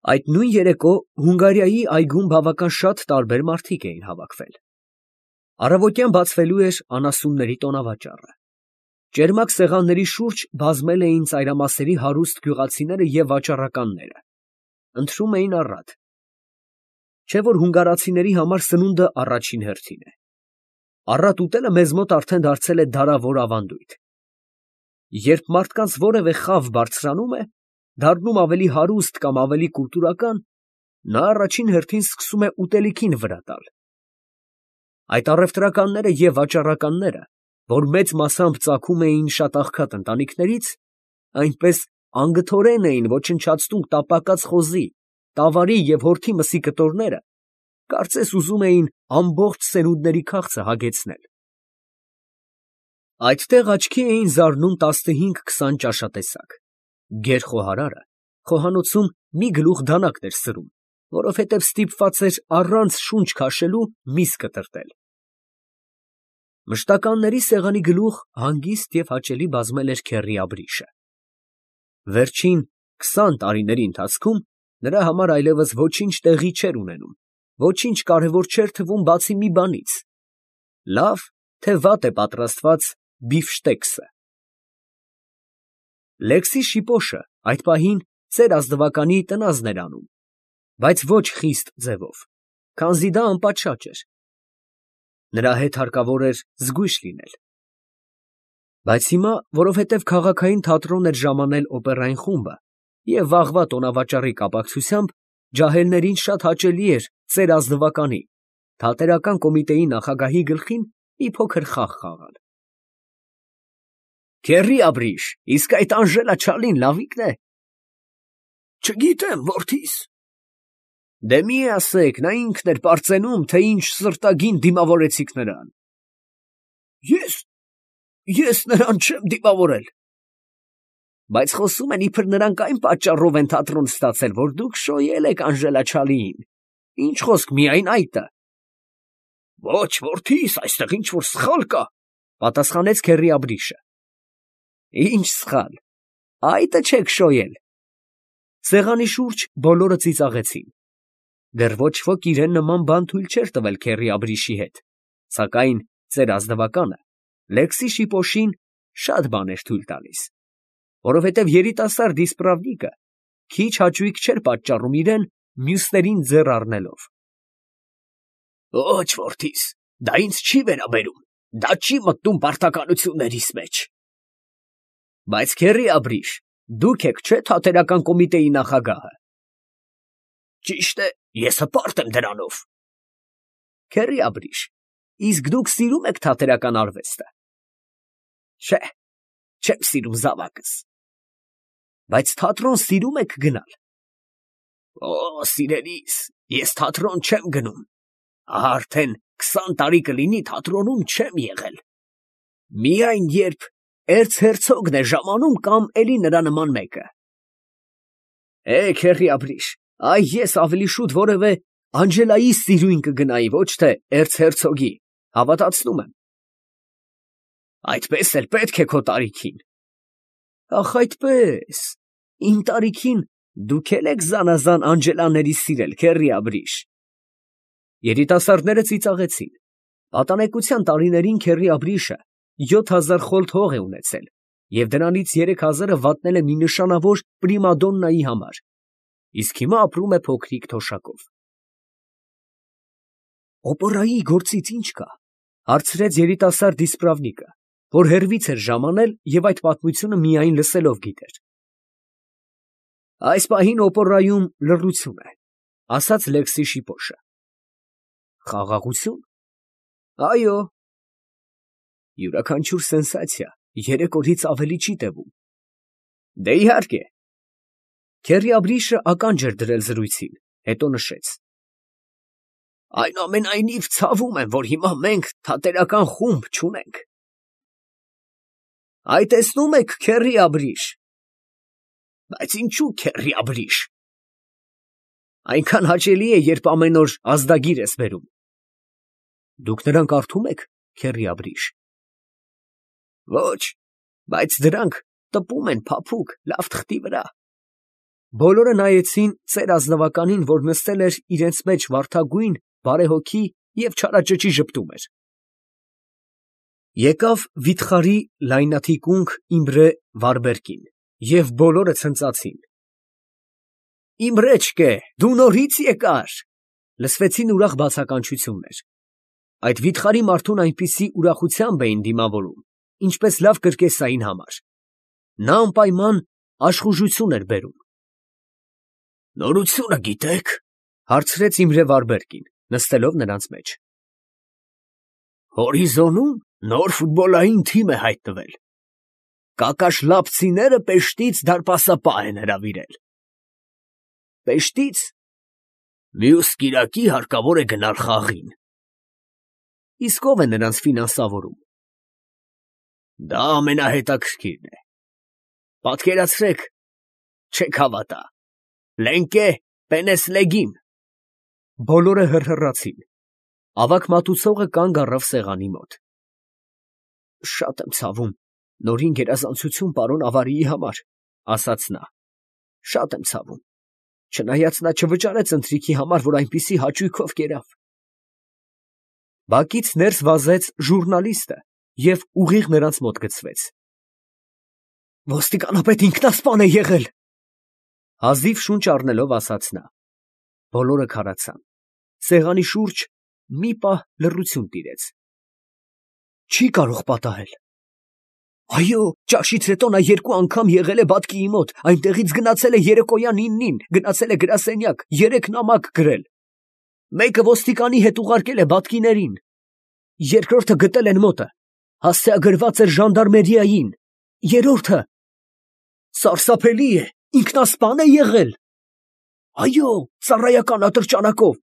Այդ նույն երեկո Հունգարիայի այգում բավական շատ տարբեր մարդիկ էին հավաքվել. առավոտյան բացվելու էր անասունների տոնավաճառը. ճերմակ սեղանների շուրջ բազմել էին ծայրամասերի հարուստ գյուղացիները և վաճառականները, ընթրում էին առատ, չէ՞ որ հունգարացիների համար սնունդը առաջին հերթին է. առատ ուտելը մեզ մոտ արդեն դարձել է դարավոր ավանդույթ. երբ մարդկանց որևէ խավ բարձրանում է, դառնում ավելի հարուստ կամ ավելի կուլտուրական, նա առաջին հերթին սկսում է ուտելիքին վրա տալ. այդ առևտրականները և վաճառականները, որ մեծ մասամբ ծագում էին շատ աղքատ ընտանիքներից, այնպես անգթորեն էին ոչնչացնում տապակած խոզի, տավարի և հորթի մսի կտորները, կարծես ուզում էին ամբողջ սերունդների քաղցը հագեցնել. այդտեղ աչքի էին զարնում 15-20 ճաշատեսակ. գեր խոհարարը խոհանոցում մի գլուխ դանակ էր սրում, որովհետև ստիպված էր առանց շունչ քաշելու միս կտրատել. մշտականների սեղանի գլուխ հանգիստ և հաճելի բազմել էր քեռի Աբրիշը. վերջին 20 տարիների ընթացքում նրա համար այլևս ոչինչ տեղի չէր ունենում, ոչինչ կարևոր չէր թվում բացի մի բանից. լավ, թե վատ է պատրաստված բիֆշտեքսը։ Լեքսի շիպոշը այդ պահին ծեր ազնվականի տնազն էր անում, բայց ոչ խիստ ձևով, քանզի դա անպատշաճ էր. նրա հետ հարկավոր էր զգույշ լինել. բայց հիմա, որովհետև քաղաքային թատրոն էր ժամանել օպերային խումբը, և վաղվա տոնավաճառի կապակցությամբ ջահելներին շատ հաճելի էր ծեր ազնվականի, թատերական կոմիտեի նախագահի գլխին մի փոքր խաղ խաղալ։ Քեռի Աբրիշ, իսկ այդ Անժելա Չալին լավիկն է։ Չգիտեմ, որդիս։ Դե մի ասեք, նա ինքն էր պարծենում, թե ինչ սրտագին դիմավորեցիք նրան։ Ես նրան չեմ դիմավորել։ Բայց խոսում են, իբր նրանք այն պատճառով են թատրոն ստացել, որ դուք շոյել եք Անժելա Չալիին։ Ինչ խոսք միայն այդը։ Ոչ, որդիս, այստեղ ինչ-որ սխալ կա, պատասխանեց քեռի Աբրիշը։ Ինչ սխալ, այդը չեք շոյել։ Սեղանի շուրջ բոլորը ծիծաղեցին։ Դեռ ոչ ոք իրեն նման բան թույլ չէր տվել քեռի Աբրիշի հետ, սակայն ծեր ազնվականը Լեքսի շիպոշին շատ բան էր թույլ տալիս, որովհետև երիտասարդ իսպրավնիկը քիչ հաճույք չէր պատճառում իրեն մյուսներին ձեռ առնելով։ Ոչ, որդիս, դա ինձ չի վերաբերում, դա չի մտնում պարտականություններիս մեջ։ Բայց քեռի Աբրիշ, դուք եք չէ՞ թատերական կոմիտեի նախագահը։ Ճիշտ է, ես հպարտ եմ դրանով։ Քեռի Աբրիշ, իսկ դուք սիրում եք թատերական արվեստը։ Չէ, չեմ սիրում զավակս։ Բայց թատրոն սիրում եք գնալ։ Օ, սիրելիս, ես թատրոն չեմ գնում։ Արդեն 20 տարի կլինի թատրոնում չեմ եղել։ Միայն երբ էրցհերցոգն է ժամանում կամ էլի նրա նման մեկը։ Քեռի Աբրիշ, այ ես ավելի շուտ որևէ Անջելայի սիրույն կգնայի, ոչ թե էրցհերցոգի, հավատացնում եմ։ Այդպես էլ պետք է քո տարիքին։ Ախ, այդպես, իմ տարիքին դուք էլ եք զանազան Անջելաների սիրել, քեռի Աբրիշ։ Երիտասարդները ծիծաղեցին։ Պատանեկության տարիներին քեռի Աբրիշը 7000 խոլթ հող է ունեցել և դրանից 3000-ը վատնել է մի նշանավոր պրիմադոննայի համար, իսկ հիմա ապրում է փոքրիկ թոշակով։ Օպերայի գործից ի՞նչ կա, հարցրեց երիտասարդ իսպրավնիկը, որ հեռվից էր ժամանել և այդ պատմությունը միայն լսելով գիտեր։ Այս պահին օպերայում լռություն է, ասաց Լեքսի շիպոշը։ Խաղաղություն։ Այո։ Յուրաքանչյուր սենսացիա 3 օրից ավելի չի տևում։ Դե իհարկե։ Քեռի Աբրիշը ականջ էր դրել զրույցին, հետո նշեց. Այնուամենայնիվ ցավում եմ, որ հիմա մենք թատերական խումբ չունենք։ Այ տեսնում եք, քեռի Աբրիշ։ Բայց ինչու քեռի Աբրիշ։ Այնքան հաճելի է, երբ ամեն օր ազդագիր ես բերում։ Դուք նրանք կարդում եք, քեռի Աբրիշ։ Ոչ, բայց դրանք տպում են փափուկ, լավ թղթի վրա։ Բոլորը նայեցին ծեր ազնվականին, որ նստել էր իրենց մեջ վարդագույն, բարեհոգի և չարաճճի ժպտում էր։ Եկավ վիթխարի լայնաթիկունք Իմրե Վարդերկին, և բոլորը ցնծացին։ «Իմրեչկե, դու նորից եկար», լսվեցին ուրախ բացականչություններ։ Այդ վիթխարի մարդուն այնպիսի ուրախությամբ էին դիմավորում, ինչպես լավ կրկեսային համար։ Նա անպայման աշխուժություն էր բերում։ «Նորությունը գիտե՞ք», հարցրեց Իմրե Վարդերկին, նստելով նրանց մեջ։ «Հորիզոնում նոր ֆուտբոլային թիմ է հայտնվել։ Կակաշլապցիները Պեշտից դարպասապահ են հրավիրել»։ «Պեշտից»։ Մյուս կիրակի հարկավոր է գնալ խաղին։ Իսկ ո՞վ է նրանց ֆինանսավորում։ Դա ամենահետաքրքիրն է։ Պատկերացրեք, չեք հավատա, Լենկե Պենեսլեգին։ Բոլորը հռհռացին։ Ավագ մատուցողը կանգ առավ սեղանի մոտ։ Շատ եմ ցավում, նորին գերազանցություն պարոն Ավարիի համար, ասաց նա։ Շատ եմ ցավում, չնայած նա չվճարեց ընթրիքի համար, որ այնպիսի հաճույքով կերավ։ Բակից ներս վազեց ժուռնալիստը և ուղիղ նրանց մոտ գցվեց։ Ոստիկանապետ ինքնասպան է եղել, հազիվ շունչ առնելով ասաց նա։ Բոլորը քարացան։ Սեղանի շուրջ մի պահ լռություն տիրեց։ Չի կարող պատահել։ Այո, ճաշից հետո նա 2 անգամ եղել է բակի մոտ, այնտեղից գնացել է երեկոյան 9-ին, գնացել է գրասենյակ, 3 նամակ գրել։ Մեկը ոստիկանի հետ ուղարկել է բատկիներին, երկրորդը գտել են մոտը, հասցեագրված էր ժանդարմերիային, երրորդը… Սարսափելի է, ինքնասպան է եղել։ Այո, ծառայական ատրճանակով,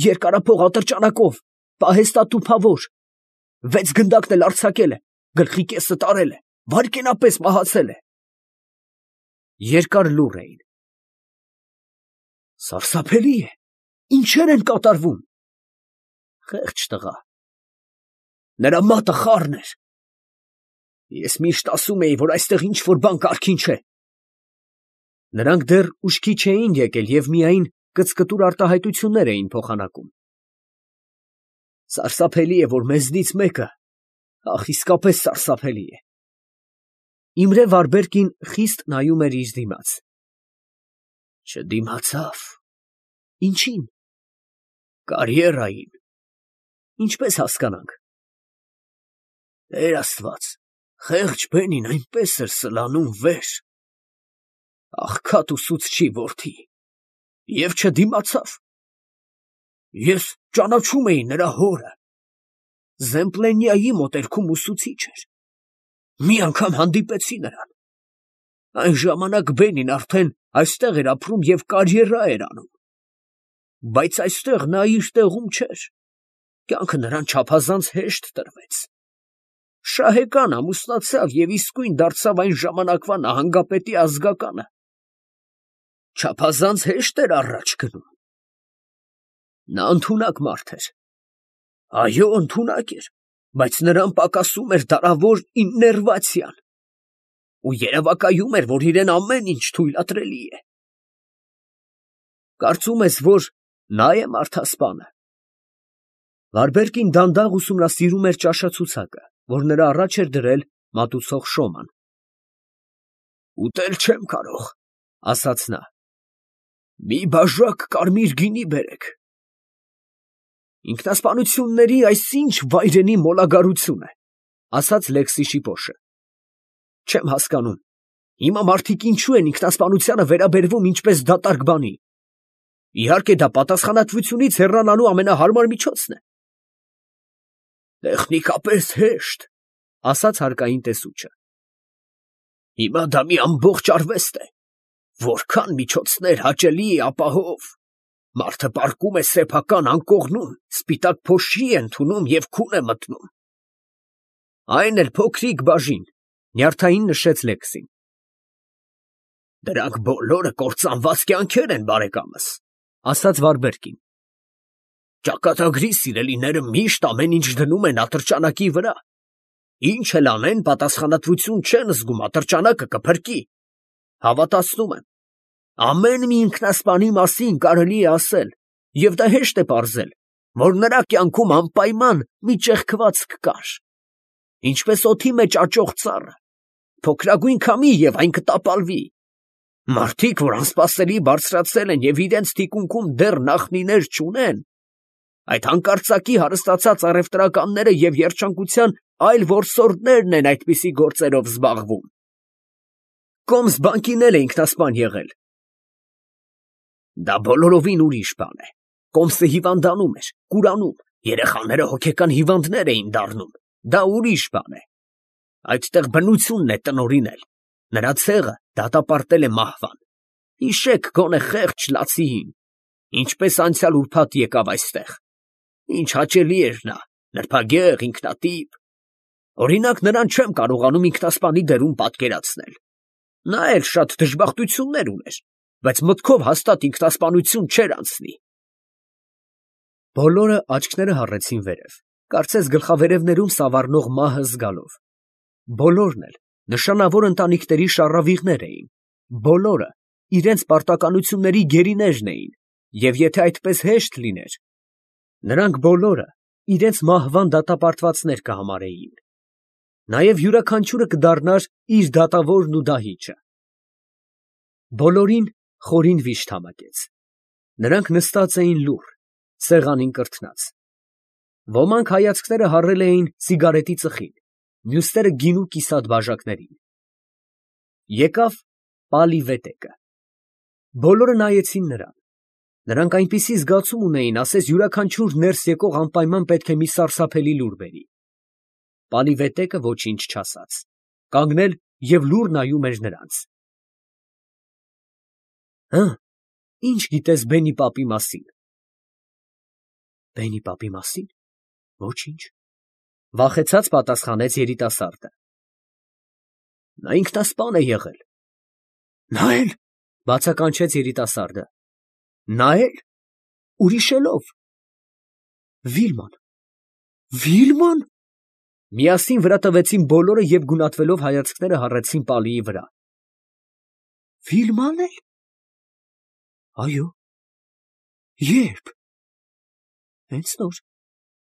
երկարափող ատրճանակով, պահեստատուփավոր, 6 գնդակն էլ արձակել է, գլխի կեսը տարել է, վայրկենապես մահացել է։ Երկար լուռ էին։ Սարսափելի է, ինչեր են կատարվում։ Խեղճ տղա։ Նրա մատը խառն էր։ Ես միշտ ասում էի, որ այստեղ ինչ-որ բան կարգին չէ։ Նրանք դեռ ուշքի չէին եկել և միայն կծկտուր արտահայտություններ էին փոխանակում։ Սարսափելի է, որ մեզնից մեկը, ախ, իսկապես սարսափելի է։ Իմրե Վարդերկին խիստ նայում էր իր դիմաց։ Չդիմացավ։ Ինչի՞ն։ Կարիերային։ Ինչպես հասկանանք։ Տեր Աստված, խեղճ բենին այնպես էր սլանում վեր։ Աղքատ ուսուցչի որդի։ Եվ չդիմացավ։ Ես ճանաչում էի նրա հորը։ Զեմպլենիայի մոտերքում ուսուցիչ էր։ Մի անգամ հանդիպեցի նրան։ Այն ժամանակ բենին արդեն այստեղ էր ապրում և կարիերա էր անում։ Բայց այստեղ նա իր տեղում չէր։ Կյանքը նրան չափազանց հեշտ տրվեց։ Շահեկան ամուսնացավ և իսկույն դարձավ այն ժամանակվա նահանգապետի ազգականը։ Չափազանց հեշտ էր առաջ գնում։ Նա ընդունակ մարդ էր։ Այո, ընդունակ էր, բայց նրան պակասում էր դարավոր իներվացիան։ Ու երևակայում էր, որ իրեն ամեն ինչ թույլատրելի է։ Կարծում ես, որ նա է մարդասպանը։ Վարդերկին դանդաղ ուսումնասիրում էր ճաշացուցակը, որ նրա առաջ էր դրել մատուցող Շոման։ Ուտել չեմ կարող, ասաց նա։ Մի բաժակ կարմիր գինի բերեք։ Ինքնասպանությունների այսինչ վայրենի մոլագարություն է, ասաց Լեքսի շիպոշը։ Չեմ հասկանում, հիմա մարդիկ ինչու են ինքնասպանությանը վերաբերվում ինչպես դատարկ բանի։ Իհարկե դա պատասխանատվությունից հեռանալու ամենահարմար միջոցն է։ Տեխնիկապես հեշտ, ասաց հարկային տեսուչը։ Հիմա դա մի ամբողջ արվեստ է, որքան միջոցներ հաճելի է ապահով։ Մարդը պառկում է սեփական անկողնում, սպիտակ փոշի է ընդունում և քուն է մտնում։ Այն էլ փոքրիկ բաժին, նյարդային նշեց Լեքսին։ Դրանք բոլորը կործանված կյանքեր են, բարեկամս, ասաց Վարդերկին։ Ճակատագրի սիրելիները միշտ ամեն ինչ դնում են ատրճանակի վրա։ Ինչ էլ անեն, պատասխանատվություն չեն զգում, ատրճանակը կփրկի։ Հավատացնում եմ։ Ամեն մի ինքնասպանի մասին կարելի է ասել, և դա հեշտ է պարզել, որ նրա կյանքում անպայման մի ճեղքվածք կար, ինչպես օդի մեջ աճող ծառը, փոքրագույն քամի և այն կտապալվի։ Մարդիկ, որ անսպասելի բարձրացել են և իրենց թիկունքում դեռ նախնիներ չունեն, այդ հանկարծակի հարստացած առևտրականները և երջանկության այլ որսորդներն են այդպիսի գործերով զբաղվում։ Կոմս բանկին էլ է ինքնասպան եղել։ Դա բոլորովին ուրիշ բան է։ Կոմսը հիվանդանում էր, կուրանում, երեխաները հոգեկան հիվանդներ էին դառնում։ Դա ուրիշ բան է։ Այդտեղ բնությունն է տնօրինել։ Նրա ցեղը դատապարտել է մահվան։ Հիշեք գոնե խեղճ լացիին, ինչպես անցյալ ուրբաթ եկավ այստեղ։ Ինչ հաճելի էր նա, նրբագեղ, ինքնատիպ։ Օրինակ, նրան չեմ կարողանում ինքնասպանի դերում պատկերացնել։ Նա էլ շատ դժբախտություններ ուներ, բայց մտքով հաստատ ինքնասպանություն չէր անցնի։ Բոլորը աչքները հառեցին վերև, կարծես գլխավերևներում սավառնող մահը զգալով։ Բոլորն էլ նշանավոր ընտանիքների շառավիղներ էին, բոլորը իրենց պարտականությունների գերիներն էին, և եթե այդպես հեշտ լիներ, նրանք բոլորը իրենց մահվան դատապարտվածներ կհամարեին։ Նաև յուրաքանչյուրը կդառնար իր դատավորն ու դահիճը։ Բոլորին խորին վիշտ համակեց։ Նրանք նստած էին լուռ, սեղանին կրթնած։ Ոմանք հայացքները հառել էին սիգարետի ծխին, մյուսները գինու կիսատ բաժակներին։ Եկավ պալի վետեկը։ Բոլորը նայեցին նրան։ Նրանք այնպիսի զգացում ունեին, ասես յուրաքանչյուր ներս եկող անպայման պետք է մի սարսափելի լուր բերի։ Պալի վետեկը ոչինչ չասաց, կանգնել և լուռ նայում էր նրանց։ Հը, ի՞նչ գիտես Բենի պապի մասին։ Բենի պապի մասին։ Ոչինչ, վախեցած պատասխանեց երիտասարդը։ Նա ինքնասպան է եղել։ Նա էլ, բացականչեց երիտասարդը։ Նա էլ, ուրիշելով։ Վիլման։ Վիլման։ Միասին վրա տվեցին բոլորը և գունատվելով հայացքները հառեցին Պալիի վրա։ Վիլման էլ։ Այո։ Ե՞րբ։ Հենց նոր։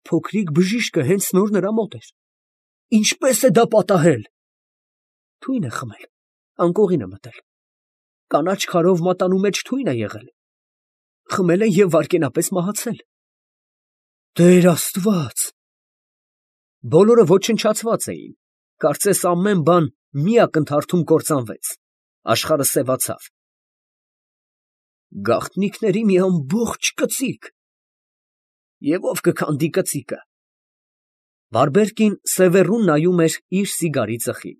Փոքրիկ բժիշկը հենց նոր նրա մոտ էր։ Ինչպե՞ս է դա պատահել։ Թույն է խմել, անկողին է մտել։ Կանաչ քարով մատանու մեջ թույն է եղել։ Խմել է և վայրկենապես մահացել։ Տեր Աստված։ Բոլորը ոչնչացված էին, կարծես ամեն բան մի ակնթարթում կործանվեց, աշխարհը սևացավ։ Գաղտնիքների մի ամբողջ կծիկ։ Եվ ով կքանդի կծիկը։ Բարբերկին սևեռուն նայում էր իր սիգարի ծխին։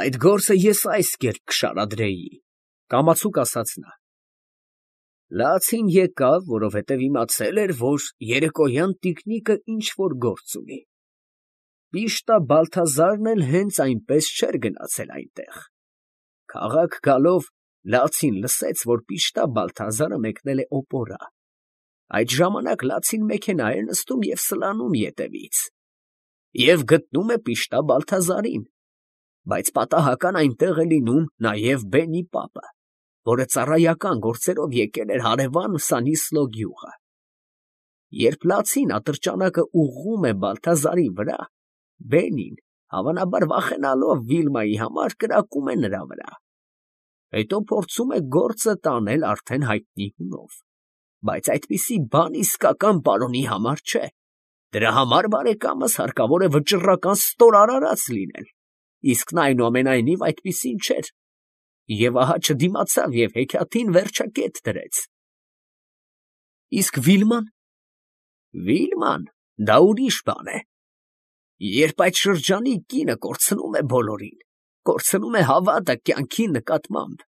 Այդ գործը ես այս կերպ կշարադրեի, կամացուկ ասաց նա։ Լացին եկավ, որովհետև իմացել էր, որ երեկոյան տիկնիկը ինչ֊որ գործ ունի։ Պիշտա Բալթազարն էլ հենց այնպես չէր գնացել այնտեղ։ Քաղաք գալով Լացին լսեց, որ Պիշտա Բալթազարը մեկնել է օպորա։ Այդ ժամանակ Լացին մեքենա է նստում և սլանում ետևից։ Եվ գտնում է Պիշտա Բալթազարին։ Բայց պատահական այնտեղ է լինում նաև Բենի պապը, որը ծառայական գործերով եկել էր հարևան Սանիսլո գյուղը։ Երբ Լացին ատրճանակը ուղղում է Բալթազարի վրա, Բենին, հավանաբար վախենալով Վիլմայի համար, կրակում է նրա վրա։ Հետո փորձում է գործը տանել արդեն հայտնի հունով։ Բայց այդպիսի բան իսկական պարոնի համար չէ։ Դրա համար, բարեկամս, հարկավոր է վճռական ստոր արարած լինել, իսկ նա այնուամենայնիվ այդպիսին չէր, և ահա չդիմացավ և հեքիաթին վերջակետ դրեց։ Իսկ Վիլման։ Վիլման, դա ուրիշ բան է։ Երբ այդ շրջանի կինը կորցնում է բոլորին, կորցնում է հավատը կյանքի նկատմամբ։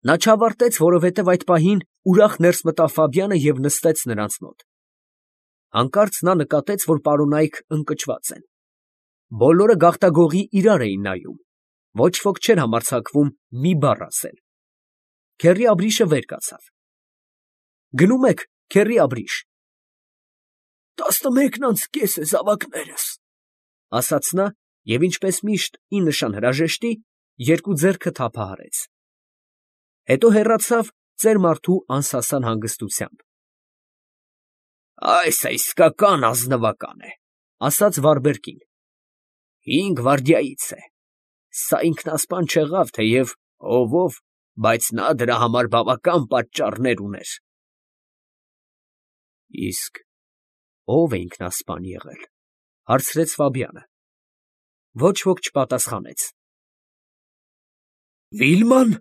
Նա չավարտեց, որովհետև այդ պահին ուրախ ներս մտավ Ֆաբյանը և նստեց նրանց մոտ։ Հանկարծ նա նկատեց, որ պարոնայք ընկճված են։ Բոլորը գաղտագողի իրար էին նայում, ոչ ոք չէր համարձակվում մի բառ ասել։ Քեռի Աբրիշը վեր կացավ։ Գնում եք, քեռի Աբրիշ։ 11:30 է, զավակներս, ասաց նա, և ինչպես միշտ ի նշան հրաժեշտի, երկու ձեռքը թափահարեց։ Հետո հեռացավ ծեր մարդու անսասան հանգստությամբ։ Այս է իսկական ազնվական է, ասաց վարբերկին։ 5 վայրդյայից է։ Սա ինքնասպան չեղավ, թեև ով, բայց նա դրա համար բավական պատճառներ ուներ։ Իսկ ո՞վ է ինքնասպան եղել, հարցրեց Ֆաբյանը։ Ոչ ոք չպատասխանեց։ Վիլման,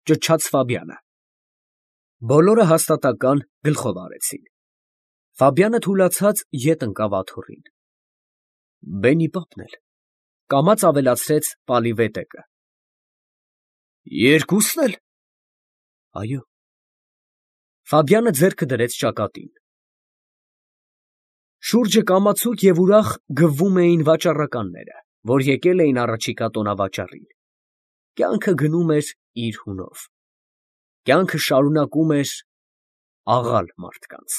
ճչաց Ֆաբյանը։ Բոլորը հաստատական գլխով արեցին։ Ֆաբյանը թուլացած ետ ընկավ աթոռին։ Բենի պապն էլ, կամաց ավելացրեց Պալիվետեկը։ Երկուսն էլ։ Այո։ Ֆաբյանը ձեռքը դրեց ճակատին։ Շուրջը կամացուկ և ուրախ գվվում էին վաճառականները, որ եկել էին առաջիկա տոնավաճառին։ Կյանքը գնում էր իր հունով։ Կյանքը շարունակում էր աղալ մարդկանց։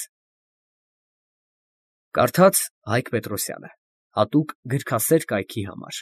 Կարդաց Հայկ Պետրոսյանը հատուկ գրքասեր կայքի համար։